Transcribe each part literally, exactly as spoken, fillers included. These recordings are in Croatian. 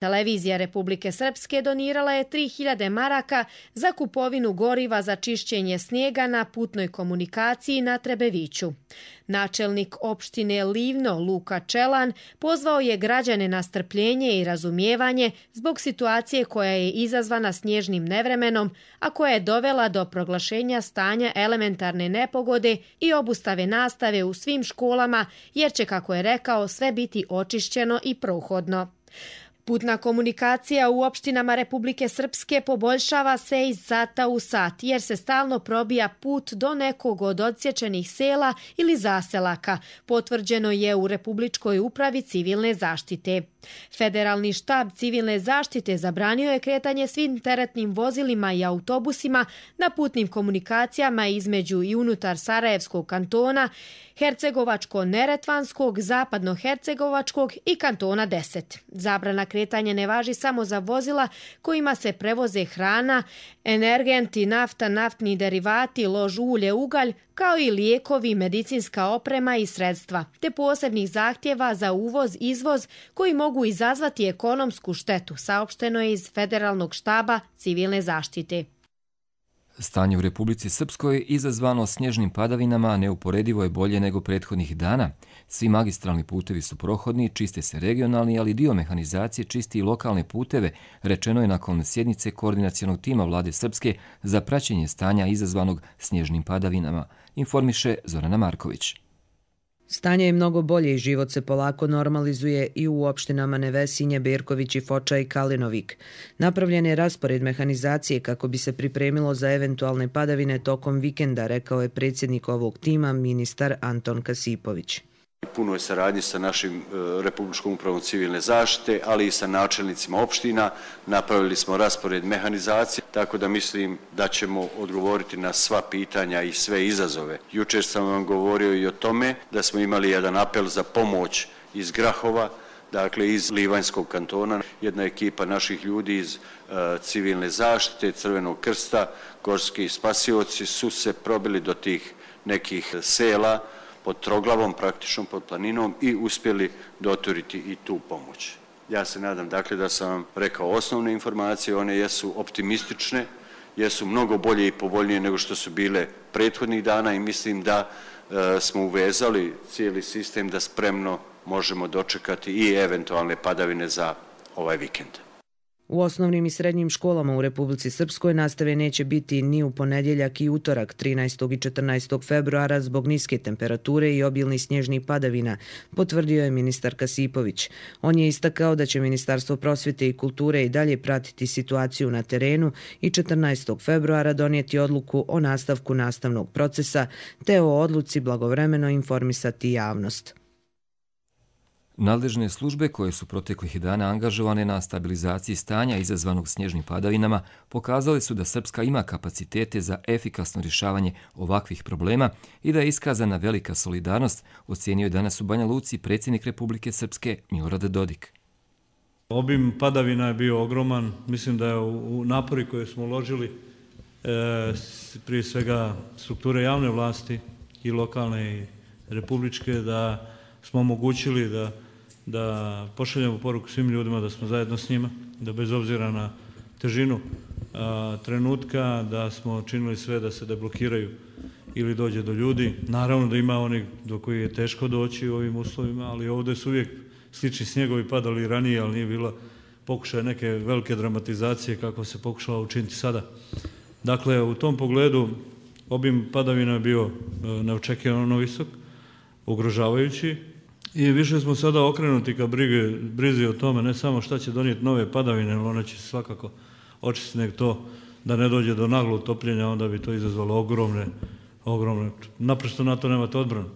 Televizija Republike Srpske donirala je tri hiljade maraka za kupovinu goriva za čišćenje snijega na putnoj komunikaciji na Trebeviću. Načelnik opštine Livno Luka Čelan pozvao je građane na strpljenje i razumijevanje zbog situacije koja je izazvana snježnim nevremenom, a koja je dovela do proglašenja stanja elementarne nepogode i obustave nastave u svim školama, jer će, kako je rekao, sve biti očišćeno i prohodno. Putna komunikacija u opštinama Republike Srpske poboljšava se iz sata u sat, jer se stalno probija put do nekog od odsječenih sela ili zaselaka, potvrđeno je u Republičkoj upravi civilne zaštite. Federalni štab civilne zaštite zabranio je kretanje svim teretnim vozilima i autobusima na putnim komunikacijama između i unutar Sarajevskog kantona, Hercegovačko-Neretvanskog, Zapadno-Hercegovačkog i kantona deset. Zabrana kretanja ne važi samo za vozila kojima se prevoze hrana, energenti, nafta, naftni derivati, lož ulje, ugalj, kao i lijekovi, medicinska oprema i sredstva, te posebnih zahtjeva za uvoz, izvoz koji mogu izazvati ekonomsku štetu, saopšteno je iz Federalnog štaba civilne zaštite. Stanje u Republici Srpskoj izazvano snježnim padavinama neuporedivo je bolje nego prethodnih dana. Svi magistralni putevi su prohodni, čiste se regionalni, ali dio mehanizacije čisti i lokalne puteve, rečeno je nakon sjednice koordinacionog tima vlade Srpske za praćenje stanja izazvanog snježnim padavinama, informiše Zorana Marković. Stanje je mnogo bolje i život se polako normalizuje i u opštinama Nevesinje, Berković, Foča i Kalinovik. Napravljen je raspored mehanizacije kako bi se pripremilo za eventualne padavine tokom vikenda, rekao je predsjednik ovog tima, ministar Anton Kasipović. Puno je saradnje sa našim Republičkom upravom civilne zaštite, ali i sa načelnicima opština. Napravili smo raspored mehanizacije, tako da mislim da ćemo odgovoriti na sva pitanja i sve izazove. Jučer sam vam govorio i o tome da smo imali jedan apel za pomoć iz Grahova, dakle iz Livanjskog kantona. Jedna ekipa naših ljudi iz uh, civilne zaštite, Crvenog krsta, gorski spasioci su se probili do tih nekih sela pod Troglavom, praktično pod planinom i uspjeli doturiti i tu pomoć. Ja se nadam dakle da sam vam rekao osnovne informacije, one jesu optimistične, jesu mnogo bolje i povoljnije nego što su bile prethodnih dana i mislim da e, smo uvezali cijeli sistem da spremno možemo dočekati i eventualne padavine za ovaj vikend. U osnovnim i srednjim školama u Republici Srpskoj nastave neće biti ni u ponedjeljak i utorak trinaestog i četrnaestog februara zbog niske temperature i obilnih snježnih padavina, potvrdio je ministar Kasipović. On je istakao da će Ministarstvo prosvjete i kulture i dalje pratiti situaciju na terenu i četrnaestog februara donijeti odluku o nastavku nastavnog procesa te o odluci blagovremeno informisati javnost. Nadležne službe koje su proteklih dana angažovane na stabilizaciji stanja izazvanog snježnim padavinama pokazali su da Srpska ima kapacitete za efikasno rješavanje ovakvih problema i da je iskazana velika solidarnost, ocijenio je danas u Banja Luci predsjednik Republike Srpske Milorad Dodik. Obim padavina je bio ogroman, mislim da je u napori koje smo uložili e, prije svega strukture javne vlasti i lokalne i republičke da smo omogućili da da pošaljemo poruku svim ljudima da smo zajedno s njima, da bez obzira na težinu a, trenutka, da smo činili sve da se deblokiraju ili dođe do ljudi. Naravno da ima onih do koji je teško doći u ovim uslovima, ali ovdje su uvijek slični snjegovi padali ranije, ali nije bila pokušaj neke velike dramatizacije kako se pokušala učiniti sada. Dakle, u tom pogledu obim padavina je bio neočekivano visok, ugrožavajući, i više smo sada okrenuti ka brige, brizi o tome, ne samo šta će donijeti nove padavine, ali one će svakako očistiti nek to da ne dođe do naglog topljenja, onda bi to izazvalo ogromne, ogromne, naprosto na to nemate odbranu.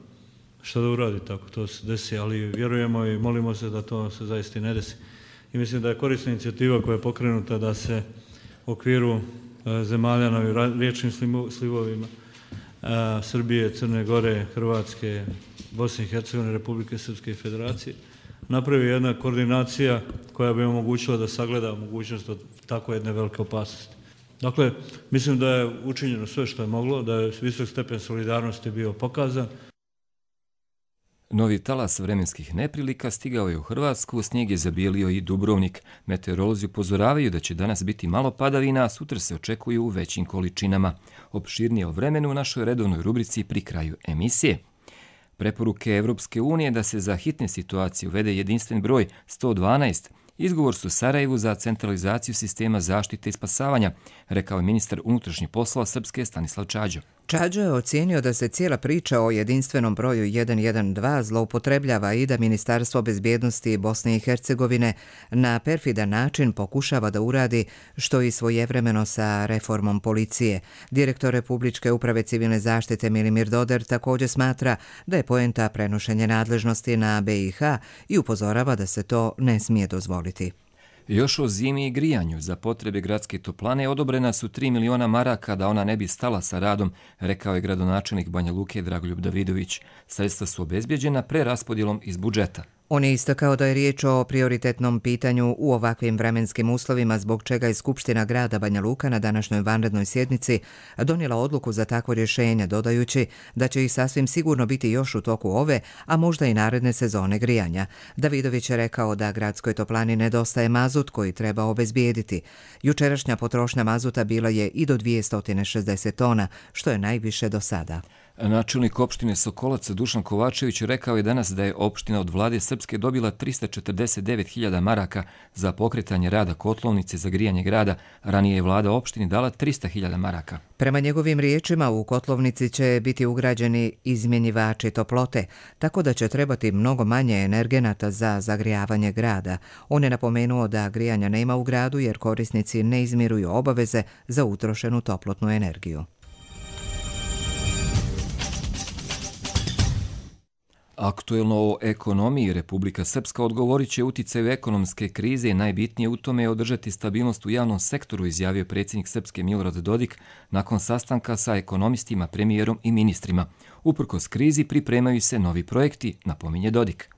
Šta da uradi tako, to se desi, ali vjerujemo i molimo se da to se zaista ne desi. I mislim da je korisna inicijativa koja je pokrenuta da se u okviru zemalja na riječnim slivovima Srbije, Crne Gore, Hrvatske, Bosne i Hercegovine, Republike Srpske i Federacije napravi jedna koordinacija koja bi omogućila da sagleda mogućnost od tako jedne velike opasnosti. Dakle, mislim da je učinjeno sve što je moglo, da je visok stepen solidarnosti bio pokazan. Novi talas vremenskih neprilika stigao je u Hrvatsku, snijeg je zabijelio i Dubrovnik. Meteorolozi upozoravaju da će danas biti malo padavina, a sutra se očekuju u većim količinama. Opširnije o vremenu u našoj redovnoj rubrici pri kraju emisije. Preporuke Evropske unije da se za hitne situacije uvede jedinstven broj sto dvanaest, izgovor su Sarajevu za centralizaciju sistema zaštite i spasavanja, rekao je ministar unutrašnjih poslova Srpske Stanislav Čađo. Čađo je ocijenio da se cijela priča o jedinstvenom broju jedan jedan dva zloupotrebljava i da Ministarstvo bezbjednosti Bosne i Hercegovine na perfidan način pokušava da uradi što i svojevremeno sa reformom policije. Direktor Republičke uprave civilne zaštite Milimir Doder također smatra da je poenta prenošenje nadležnosti na B i H i upozorava da se to ne smije dozvoliti. Još o zimi i grijanju za potrebe gradske toplane odobrena su tri miliona maraka da ona ne bi stala sa radom, rekao je gradonačelnik Banja Luke Dragoljub Davidović. Sredstva su obezbjeđena preraspodjelom iz budžeta. On je istakao da je riječ o prioritetnom pitanju u ovakvim vremenskim uslovima, zbog čega je Skupština grada Banja Luka na današnjoj vanrednoj sjednici donijela odluku za takvo rješenje, dodajući da će ih sasvim sigurno biti još u toku ove, a možda i naredne sezone grijanja. Davidović je rekao da gradskoj toplani nedostaje mazut koji treba obezbijediti. Jučerašnja potrošnja mazuta bila je i do dvjesto šezdeset tona, što je najviše do sada. Načelnik opštine Sokolac Dušan Kovačević rekao je danas da je opština od vlade Srpske dobila trista četrdeset devet hiljada maraka za pokretanje rada kotlovnice za grijanje grada. Ranije je vlada opštini dala trista hiljada maraka. Prema njegovim riječima, u kotlovnici će biti ugrađeni izmjenjivači toplote, tako da će trebati mnogo manje energenata za zagrijavanje grada. On je napomenuo da grijanja nema u gradu jer korisnici ne izmiruju obaveze za utrošenu toplotnu energiju. Aktuelno o ekonomiji Republika Srpska odgovorit će uticaju ekonomske krize i najbitnije u tome je održati stabilnost u javnom sektoru, izjavio predsjednik Srpske Milorad Dodik nakon sastanka sa ekonomistima, premijerom i ministrima. Uprkos krizi pripremaju se novi projekti, napominje Dodik.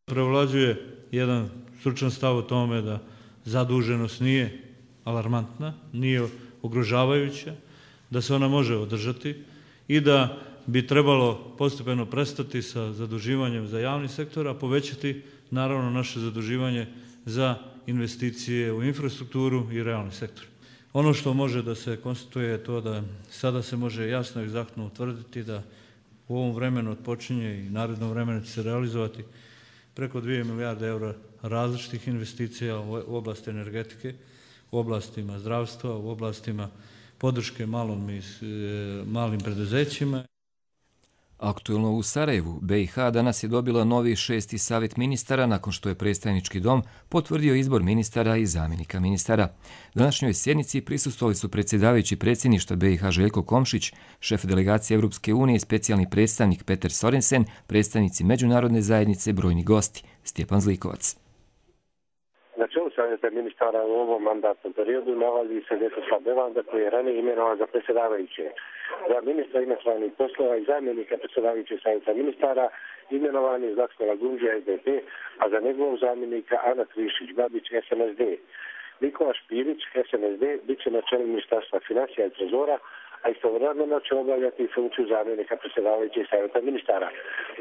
Prevlađuje jedan stručan stav o tome da zaduženost nije alarmantna, nije ugrožavajuća, da se ona može održati i da bi trebalo postepeno prestati sa zaduživanjem za javni sektor, a povećati naravno naše zaduživanje za investicije u infrastrukturu i realni sektor. Ono što može da se konstatuje je to da sada se može jasno i egzaktno utvrditi da u ovom vremenu odpočinje i narednom vremenu će se realizovati preko dvije milijarde eura različitih investicija u oblasti energetike, u oblastima zdravstva, u oblastima podrške malom i malim preduzećima. Aktuelno u Sarajevu, B i H danas je dobila novi šesti savjet ministara nakon što je predstavnički dom potvrdio izbor ministara i zamjenika ministara. Današnjoj sjednici prisustvovali su predsjedavajući predsjedništva B i H Željko Komšić, šef delegacije Evropske unije i specijalni predstavnik Peter Sorensen, predstavnici međunarodne zajednice, brojni gosti. Stjepan Zlikovac. Na čelu savjeta ministara u ovom mandatnom periodu nalazi se Vjekoslav Belanda koji je ranije imenovan za predsjedavajuće. Za ministra inostranih poslova i zamjenika predsjedavajućeg savjeta ministara imenovan je Zlatko Lagundžija S D P, a za njegovog zamjenika Ana Trišić-Babić S N S D. Nikola Špirić S N S D bit će na čelu ministarstva financija i trezora, a istovremeno će obavljati funkciju zamjenika predsjedavajućeg savjeta ministara.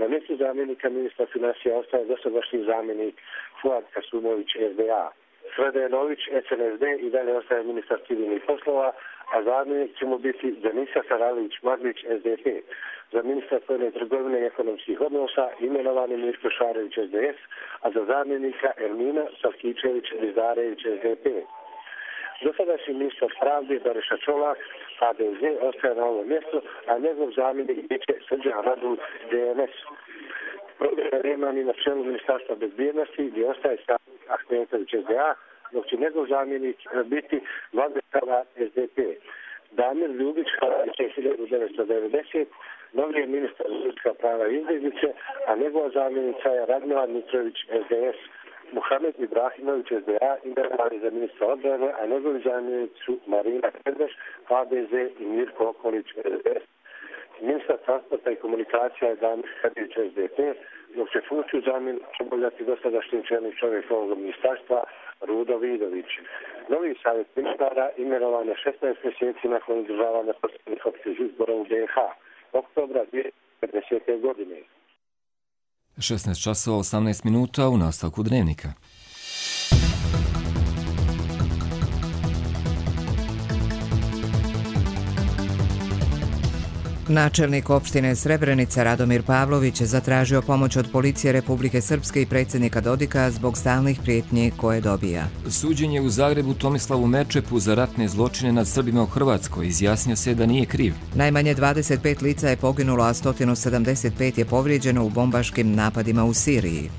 Na mjestu zamjenika ministra financija ostaje dosadašnji zamjenik Fuad Kasumović S D A. Srede Nović S N S D i dalje ostaje ministar civilnih poslova, a zamjenik će mu biti Denisa Saralić-Maglić S D P. Za ministra spoljne trgovine i ekonomskih odnosa imenovan je Mirko Šarević S D S, a za zamjenika Ermina Savkičević-Rizdarević S D P. Dosadašnji ministar pravde Bariša Čolak H D Z ostaje na ovom mjestu, a njegov zamjenik biće Srđan Radul D N S. Program Remani na čelu ministarstva bezbjednosti gdje ostaje savjenik Ahmetović S D A, dok će njegov zamjenik biti Vladimir S D P. Damir Ljubić hiljadu devetsto devedeset, novi je ministar ljudska prava i izbjeglice, a njegova zamjenica je Radmila Mitrović S D S. Muhamed Ibrahimović S D A imenovan je za ministra odbrane, a njegovi zamjenici su Marina Kedveš, H D Z i Mirko Okolić S D S. Ministar transporta i komunikacija je Damir Kadić S D P, dok će funkciju zamjenika obavljati dosadašnji čelni čovjek ovog ministarstva Rudo Vidović. Novi savjet ministara imenovan je šesnaest mjeseci nakon održavanja posljednjih općih izbora u B i H. Oktobra dvije tisuće četrdesete godine. šesnaest časova osamnaest minuta u nastavku Dnevnika. Načelnik opštine Srebrenica Radomir Pavlović je zatražio pomoć od policije Republike Srpske i predsjednika Dodika zbog stalnih prijetnji koje dobija. Suđenje u Zagrebu Tomislavu Merčepu za ratne zločine nad Srbima u Hrvatskoj izjasnio se da nije kriv. Najmanje dvadeset pet lica je poginulo, a sto sedamdeset pet je povrijeđeno u bombaškim napadima u Siriji.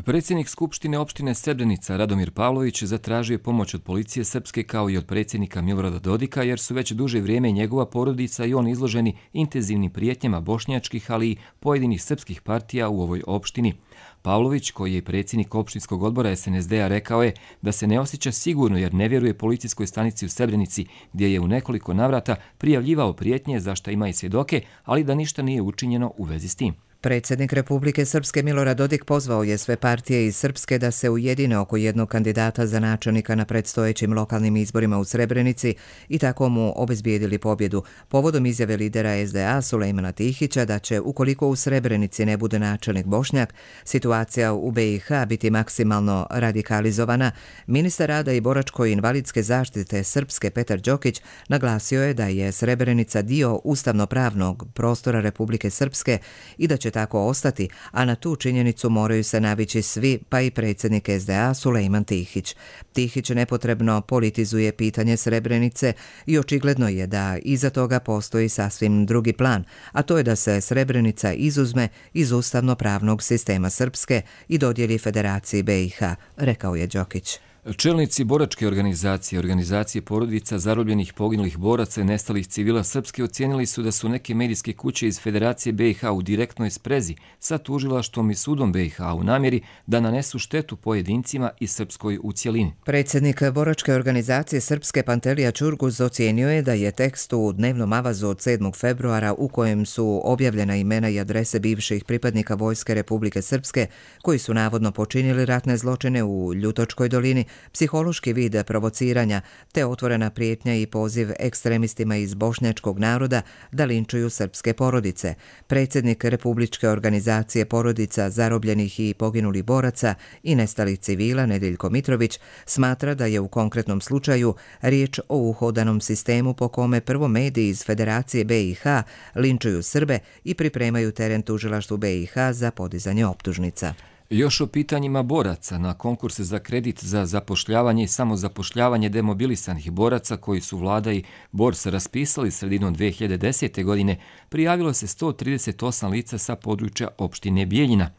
Predsjednik Skupštine opštine Srebrenica Radomir Pavlović zatražio pomoć od policije Srpske kao i od predsjednika Milorada Dodika jer su već duže vrijeme njegova porodica i on izloženi intenzivnim prijetnjama bošnjačkih, ali i pojedinih srpskih partija u ovoj opštini. Pavlović, koji je predsjednik opštinskog odbora S N S D-a, rekao je da se ne osjeća sigurno jer ne vjeruje policijskoj stanici u Srebrenici, gdje je u nekoliko navrata prijavljivao prijetnje za šta ima i svjedoke, ali da ništa nije učinjeno u vezi s tim. Predsjednik Republike Srpske Milorad Dodik pozvao je sve partije iz Srpske da se ujedine oko jednog kandidata za načelnika na predstojećim lokalnim izborima u Srebrenici i tako mu obezbijedili pobjedu. Povodom izjave lidera S D A Sulejmana Tihića da će, ukoliko u Srebrenici ne bude načelnik Bošnjak, situacija u B i H biti maksimalno radikalizovana, ministar rada i boračko-invalidske zaštite Srpske Petar Đokić naglasio je da je Srebrenica dio ustavno-pravnog prostora Republike Srpske i da će tako ostati, a na tu činjenicu moraju se navići svi, pa i predsjednik S D A Sulejman Tihić. Tihić nepotrebno politizuje pitanje Srebrenice i očigledno je da iza toga postoji sasvim drugi plan, a to je da se Srebrenica izuzme iz ustavno-pravnog sistema Srpske i dodijeli Federaciji B i H, rekao je Đokić. Čelnici boračke organizacije, organizacije porodica zarobljenih poginulih boraca i nestalih civila Srpske ocijenili su da su neke medijske kuće iz Federacije B i H u direktnoj sprezi sa tužilaštvom i sudom B i H u namjeri da nanesu štetu pojedincima i Srpskoj u cjelini. Predsjednik boračke organizacije Srpske Pantelija Čurguz ocijenio je da je tekst u dnevnom avazu od sedmog februara u kojem su objavljena imena i adrese bivših pripadnika Vojske Republike Srpske koji su navodno počinili ratne zločine u Ljutočkoj dolini, psihološki vid provociranja te otvorena prijetnja i poziv ekstremistima iz bošnjačkog naroda da linčuju srpske porodice. Predsjednik Republičke organizacije porodica zarobljenih i poginulih boraca i nestalih civila Nedeljko Mitrović smatra da je u konkretnom slučaju riječ o uhodanom sistemu po kome prvo mediji iz Federacije B i H linčuju Srbe i pripremaju teren tužilaštvu B i H za podizanje optužnica. Još o pitanjima boraca na konkurse za kredit za zapošljavanje i samozapošljavanje demobilisanih boraca koji su vlada i Bors raspisali sredinom dve hiljade desete. godine prijavilo se sto trideset osam lica sa područja opštine Bijeljina.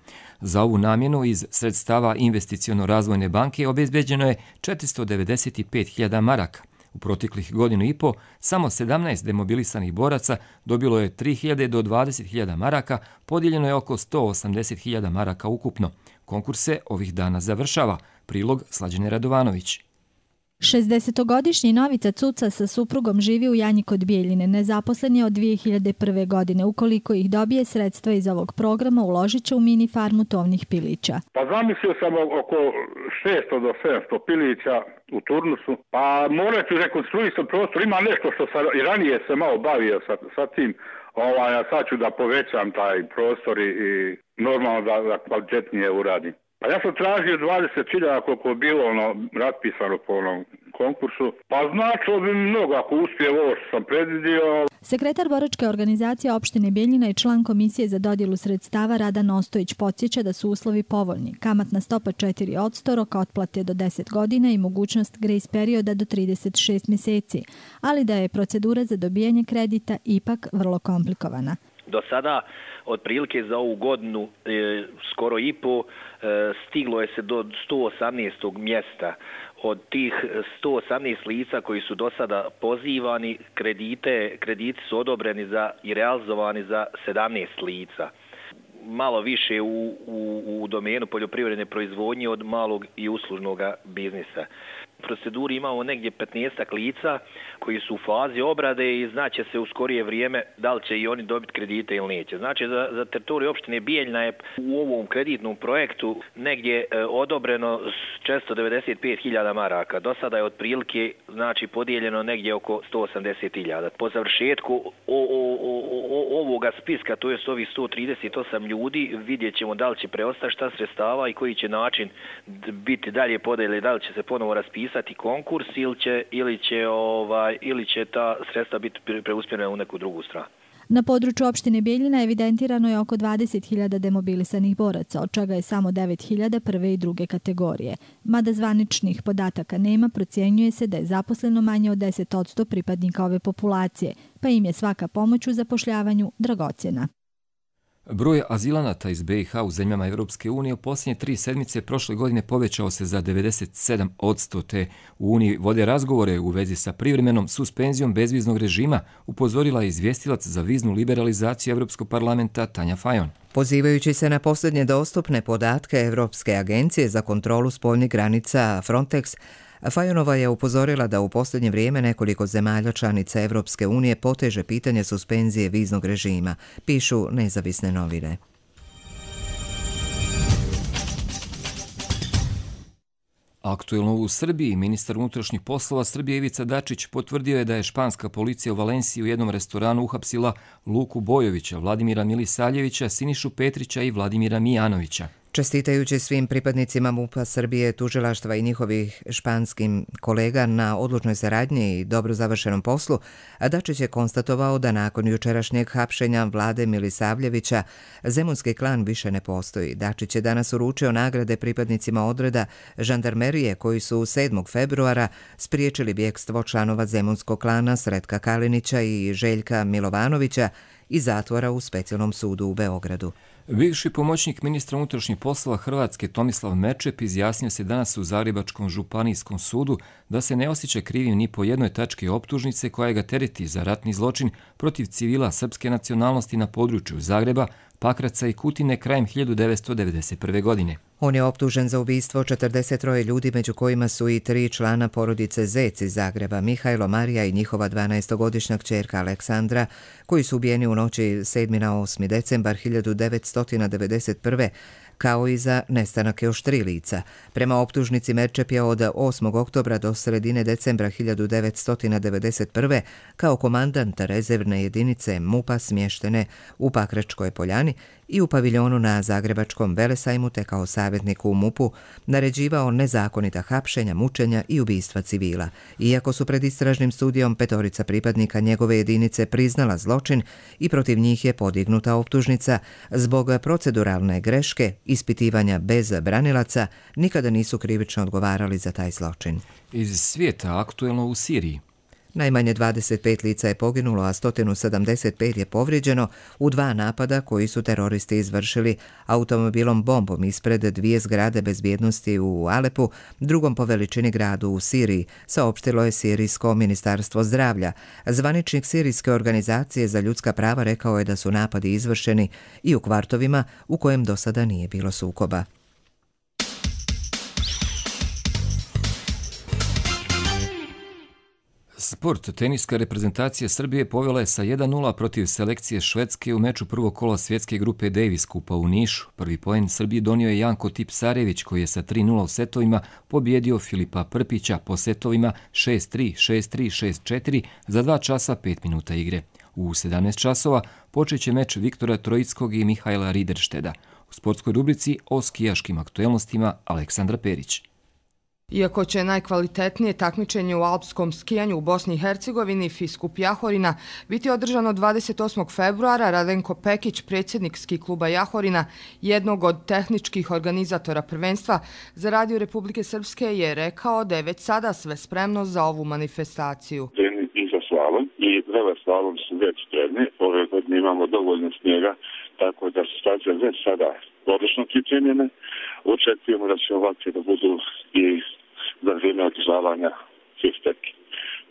Za ovu namjenu iz sredstava Investiciono-razvojne banke obezbeđeno je četiristo devedeset pet hiljada maraka. U proteklih godinu i po samo sedamnaest demobilisanih boraca dobilo je tri hiljade do dvadeset hiljada maraka, podijeljeno je oko sto osamdeset hiljada maraka ukupno. Konkurs se ovih dana završava. Prilog Slađane Radovanović. šezdesetogodišnji Novica Cuca sa suprugom živi u Janji kod Bijeljine. Nezaposlen je od dvije hiljade prve. godine. Ukoliko ih dobije sredstva iz ovog programa, uložit će u mini farmu tovnih pilića. Pa zamislio sam oko šesto do sedamsto pilića u turnusu. Pa morat ću rekonstruisati prostor. Ima nešto što sam i ranije se malo bavio sa, sa tim. Ovaj, a sad ću da povećam taj prostor i, i normalno da, da kvalitetnije uradim. Pa ja sam tražio dvadeset hiljada koliko je bilo ono raspisano po onom konkursu. Pa značilo bi mnogo ako uspije ovo što sam predvidio. Sekretar boračke organizacije opštine Bijeljina i član komisije za dodjelu sredstava Radan Ostojić podsjeća da su uslovi povoljni. Kamatna stopa četiri posto, rok otplate do deset godina i mogućnost grace perioda do trideset šest mjeseci, ali da je procedura za dobijanje kredita ipak vrlo komplikovana. Do sada, otprilike za ovu godinu, e, skoro i po, e, stiglo je se do sto osamnaestog mjesta. Od tih sto osamnaest lica koji su do sada pozivani, kredite, krediti su odobreni za i realizovani za sedamnaest lica. Malo više u, u, u domenu poljoprivredne proizvodnje od malog i uslužnog biznisa. proceduri imamo negdje petnaestak lica koji su u fazi obrade i znaće se u skorije vrijeme da li će i oni dobiti kredite ili neće. Znači za, za teritoriju opštine Bijeljina je u ovom kreditnom projektu negdje e, odobreno četiristo devedeset pet hiljada maraka. Do sada je otprilike znači podijeljeno negdje oko sto osamdeset hiljada. Po završetku o, o, o, o, ovoga spiska, to je ovih sto trideset osam ljudi, vidjet ćemo da li će preostati šta sredstava i koji će način biti dalje podijeli, da li će se ponovo raspisati konkurs ili će, ili će, ovaj, ili će ta sredstva biti preusmjerena u neku drugu stranu. Na području opštine Bijeljina evidentirano je oko dvadeset hiljada demobilisanih boraca, od čega je samo devet hiljada prve i druge kategorije. Mada zvaničnih podataka nema, procjenjuje se da je zaposleno manje od deset posto pripadnika ove populacije, pa im je svaka pomoć u zapošljavanju dragocjena. Broj azilanata iz be i ha u zemljama Evropske unije u posljednje tri sedmice prošle godine povećao se za devedeset sedam posto, te u Uniji vode razgovore u vezi sa privremenom suspenzijom bezviznog režima, upozorila je izvjestilac za viznu liberalizaciju Evropskog parlamenta Tanja Fajon. Pozivajući se na posljednje dostupne podatke Evropske agencije za kontrolu spoljnih granica Frontex, Fajonova je upozorila da u posljednje vrijeme nekoliko zemalja članica Evropske unije poteže pitanje suspenzije viznog režima, pišu nezavisne novine. Aktuelno u Srbiji, ministar unutrašnjih poslova Srbije Ivica Dačić potvrdio je da je španska policija u Valenciji u jednom restoranu uhapsila Luku Bojovića, Vladimira Milisaljevića, Sinišu Petrića i Vladimira Mijanovića. Čestitajući svim pripadnicima MUP-a Srbije, tužilaštva i njihovih španskim kolega na odlučnoj saradnji i dobro završenom poslu, Dačić je konstatovao da nakon jučerašnjeg hapšenja Vlade Milisavljevića zemunski klan više ne postoji. Dačić je danas uručio nagrade pripadnicima odreda žandarmerije koji su sedmog februara spriječili bjekstvo članova zemunskog klana Sretka Kalinića i Željka Milovanovića iz zatvora u specijalnom sudu u Beogradu. Bivši pomoćnik ministra unutrašnjih poslova Hrvatske Tomislav Merčep izjasnio se danas u Zagrebačkom županijskom sudu da se ne osjeća krivim ni po jednoj tački optužnice koja ga tereti za ratni zločin protiv civila srpske nacionalnosti na području Zagreba, Pakraca i Kutine krajem hiljadu devetsto devedeset prve. godine. On je optužen za ubistvo četrdeset troje ljudi, među kojima su i tri člana porodice Zec iz Zagreba, Mihajlo, Marija i njihova dvanaestogodišnja kćerka Aleksandra, koji su ubijeni u noći sedmi na osmi decembar hiljadu devetsto devedeset prve. kao i za nestanak još tri lica. Prema optužnici Merčep je od osmog oktobra do sredine decembra hiljadu devetsto devedeset prve. kao komandant rezervne jedinice MUP-a smještene u Pakračkoj Poljani i u paviljonu na Zagrebačkom Velesajmu, te kao savjetnik u MUP-u naređivao nezakonita hapšenja, mučenja i ubistva civila. Iako su pred istražnim studijom petorica pripadnika njegove jedinice priznala zločin i protiv njih je podignuta optužnica, zbog proceduralne greške ispitivanja bez branilaca nikada nisu krivično odgovarali za taj zločin. Iz svijeta aktuelno u Siriji. Najmanje dvadeset pet lica je poginulo, a sto sedamdeset pet je povrijeđeno u dva napada koji su teroristi izvršili automobilom bombom ispred dvije zgrade bezbjednosti u Alepu, drugom po veličini gradu u Siriji, saopštilo je Sirijsko ministarstvo zdravlja. Zvaničnik Sirijske organizacije za ljudska prava rekao je da su napadi izvršeni i u kvartovima u kojem do sada nije bilo sukoba. Sport. Teniska reprezentacija Srbije povela je sa jedan nula protiv selekcije Švedske u meču prvog kola svjetske grupe Davis Kupa u Nišu. Prvi poen Srbiji donio je Janko Tipsarević, koji je sa tri nula u setovima pobjedio Filipa Prpića po setovima šest tri, šest tri, šest četiri za dva časa pet minuta igre. U sedamnaest časova počet će meč Viktora Trojickog i Mihajla Rideršteda. U sportskoj rubrici o skijaškim aktuelnostima Aleksandra Perić. Iako će najkvalitetnije takmičenje u alpskom skijanju u Bosni i Hercegovini Fiskup Jahorina biti održano dvadeset osmog februara, Radenko Pekić, predsjednik ski kluba Jahorina, jednog od tehničkih organizatora prvenstva za Radio Republike Srpske, je rekao da je već sada sve spremno za ovu manifestaciju. I za slalom i veleslalom su već spremni. Ove godine imamo dovoljno snijega, tako da su staze već sada odlično pripremljene. Očekujemo da će ovakve da budu i za vrijeme održavanja svih.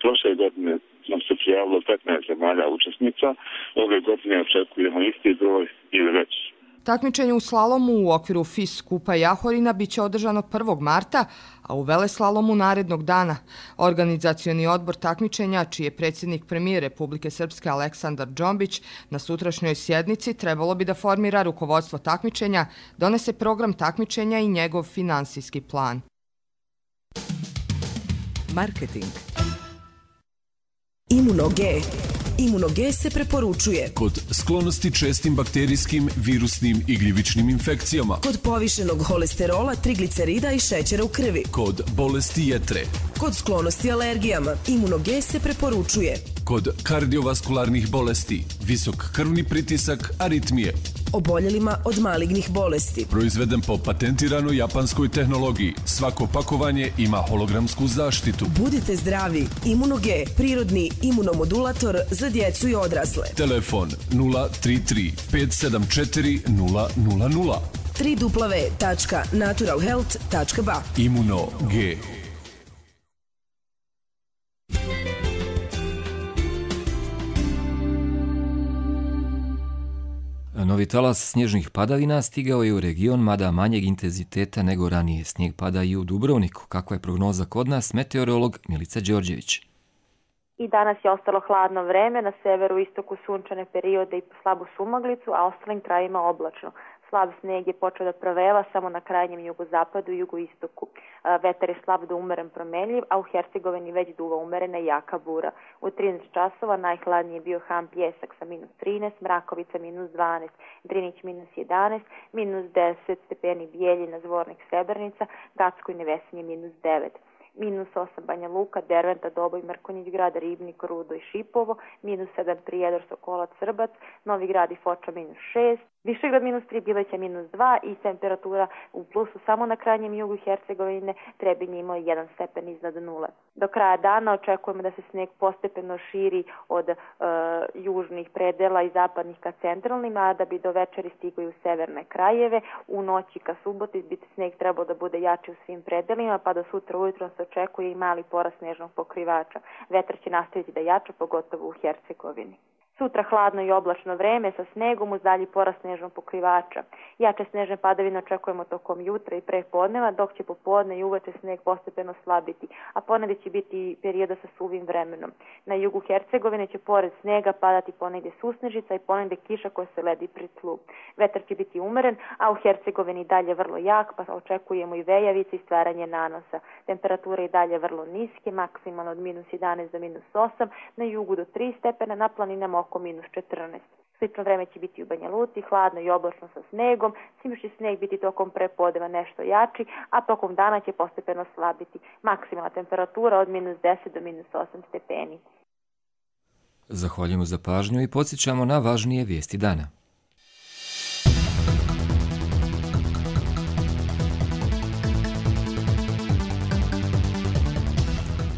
Prošle godine nam se prijavilo petnaest zemalja učesnica, ove godine očekujemo isti broj ili veći. Takmičenje u slalomu u okviru F I S skupa Jahorina biće održano prvog marta, a u veleslalomu narednog dana. Organizacioni odbor takmičenja, čiji je predsjednik premijer Republike Srpske Aleksandar Džombić, na sutrašnjoj sjednici trebalo bi da formira rukovodstvo takmičenja, donese program takmičenja i njegov finansijski plan. Marketing. Imuno-G. Imuno-G se preporučuje kod sklonosti čestim bakterijskim, virusnim i gljivičnim infekcijama, kod povišenog holesterola, triglicerida i šećera u krvi, kod bolesti jetre, kod sklonosti alergijama. Imuno-G se preporučuje kod kardiovaskularnih bolesti, visok krvni pritisak, aritmije, oboljelima od malignih bolesti. Proizveden po patentiranoj japanskoj tehnologiji. Svako pakovanje ima hologramsku zaštitu. Budite zdravi. Imuno-G, prirodni imunomodulator za djecu i odrasle. Telefon nula tri tri pet sedam četiri nula nula nula. w w w tačka natural health tačka b a. Imuno-G. Novi talas snježnih padavina stigao je u region, mada manjeg intenziteta nego ranije. Snijeg pada i u Dubrovniku. Kakva je prognoza kod nas? Meteorolog Milica Đorđević. I danas je ostalo hladno vreme, na severu i istoku sunčane periode i slabu sumaglicu, a ostalim krajima oblačno. Slab snijeg je počeo da proveva samo na krajnjem jugozapadu i jugoistoku. Vetar je slab do umeren promenljiv, a u Hercegovini već duva umerena i jaka bura. U trinaest časova najhladniji je bio Ham Pjesak sa minus trinaest, Mrakovica minus dvanaest, Drinić minus jedanaest, minus deset stepeni Bijeljina, Zvornik, Srebrnica, Gacko i Nevesinje minus devet. Minus osam Banja Luka, Derventa, Doboj, Mrkonjić grad, Ribnik, Rudo i Šipovo, minus sedam Prijedor, Sokolac, Srbac, Novi grad i Foča minus šest, Višegrad minus tri, Bileća minus dva i temperatura u plusu samo na krajnjem jugu Hercegovine, Trebinje imao jedan stepen iznad nule. Do kraja dana očekujemo da se snijeg postepeno širi od e, južnih predela i zapadnih ka centralnim, a da bi do večeri stigao i u severne krajeve. U noći ka suboti bi snijeg trebao da bude jači u svim predelima, pa do sutra ujutro se očekuje i mali porast snežnog pokrivača. Vetar će nastaviti da jača, pogotovo u Hercegovini. Sutra hladno i oblačno vreme sa snegom uz dalji porast snežnog pokrivača. Jače snežne padavine očekujemo tokom jutra i pre podneva, dok će popodne i uveče sneg postepeno slabiti, a ponegdje će biti perioda sa suvim vremenom. Na jugu Hercegovine će pored snega padati ponegdje susnežica i ponegdje kiša koja se ledi pri tlu. Vetar će biti umeren, a u Hercegovini dalje vrlo jak, pa očekujemo i vejavice i stvaranje nanosa. Temperature i dalje vrlo niske, maksimalno od minus jedanaest do minus osam, na jugu do tri stepena, na planinama oko minus četrnaest. Slično vreme će biti u Banja Luci, hladno i oblačno sa snegom, svim će sneg biti tokom prepodneva nešto jači, a tokom dana će postepeno slabiti. Maksimalna temperatura od minus deset do minus osam stepeni. Zahvaljujemo za pažnju i podsjećamo na važnije vijesti dana.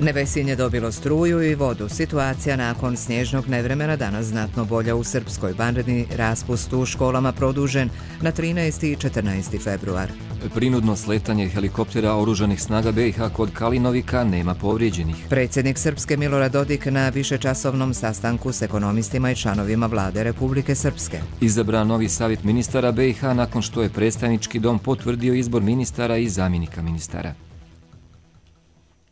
Nevesinje dobilo struju i vodu. Situacija nakon snježnog nevremena danas znatno bolja u Srpskoj. Vanredni raspust u školama produžen na trinaesti i četrnaesti februar. Prinudno sletanje helikoptera oružanih snaga B i H kod Kalinovika, nema povrijeđenih. Predsjednik Srpske Milorad Dodik na višečasovnom sastanku s ekonomistima i članovima vlade Republike Srpske. Izabran novi savjet ministara B i H nakon što je predstavnički dom potvrdio izbor ministara i zamjenika ministara.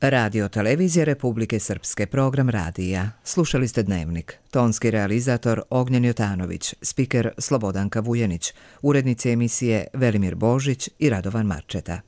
Radio televizije Republike Srpske, program radija. Slušali ste Dnevnik. Tonski realizator Ognjen Jotanović, spiker Slobodanka Vujenić, urednici emisije Velimir Božić i Radovan Marčeta.